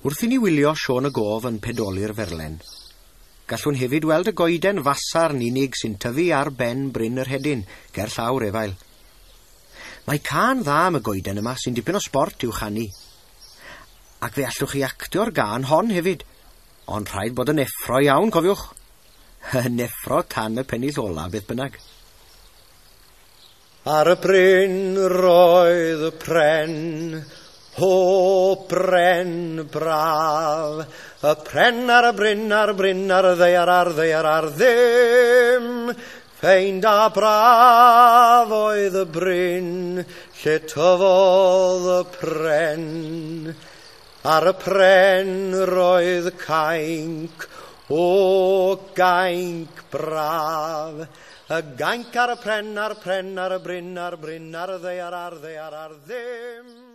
Wrth i ni wylio Siôn y Gof yn pedoli'r ferlen, gallwn hefyd weld y goeden fasarn unig sy'n tyfu ar ben Bryn yr Hedyn, ger llawr Efail. Mae cân dda am y goeden yma sy'n dipyn o sbort i'w chanu. Ac fe allwch chi actio'r gân hon hefyd, ond rhaid bod yn effro iawn, cofiwch. Yn effro tan y pennill ola, beth bynnag. Ar y bryn roedd y pren, o bren braf, y pren ar y bryn, ar bryn, ar y ddaear, ar ddaear, ar ddim. Ffeind a braf oedd y bryn, lle tyfodd y pren. Ar y pren roedd cainc, o gainc braf, y gainc ar y pren, ar pren, ar y bryn, ar bryn, ar y ddaear, ar ddaear, ar ddim.